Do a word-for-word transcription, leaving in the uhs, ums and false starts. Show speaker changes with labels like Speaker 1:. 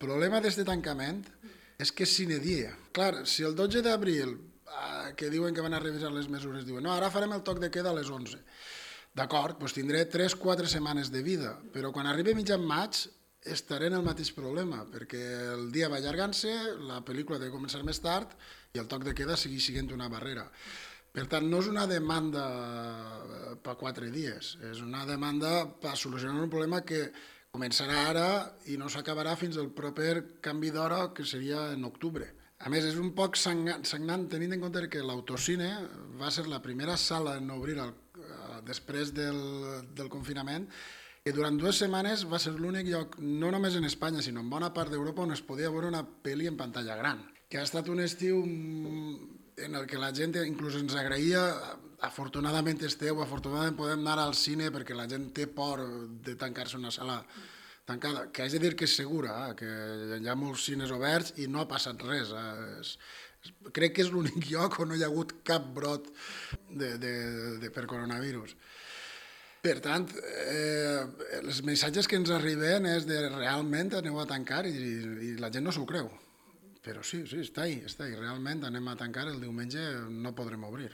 Speaker 1: problema d'aquest tancament és que és sine die. Clar, si el dotze d'abril, eh, que diuen que van a revisar les mesures, diuen no, ara farem el toc de queda a les onze. D'acord, doncs tindré tres o quatre setmanes de vida, però quan arribi mitjan maig estaré en el mateix problema, perquè el dia va allargant-se, la pel·lícula ha de començar més tard i el toc de queda segueix sent una barrera. Per tant, no és una demanda per quatre dies, és una demanda per solucionar un problema que començarà ara i no s'acabarà fins al proper canvi d'hora, que seria en octubre. A més, és un poc sagnant tenint en compte que l'autocine va ser la primera sala en obrir el, després del, del confinament, que durant dues setmanes va ser l'únic lloc, no només en Espanya, sinó en bona part d'Europa, on es podia veure una pel·li en pantalla gran. Que ha estat un estiu en el que la gent inclús ens agraïa, afortunadament esteu, afortunadament podem anar al cine perquè la gent té por de tancar-se una sala tancada, que haig de dir que és segura, eh? Que hi ha molts cines oberts i no ha passat res. Eh? És, crec que és l'únic lloc on no hi ha hagut cap brot de, de, de, per coronavirus. Per tant, eh, els missatges que ens arriben és de realment aneu a tancar i, i la gent no s'ho creu. Però sí, sí, està ahí, està ahí. Realment anem a tancar el diumenge, no podrem obrir.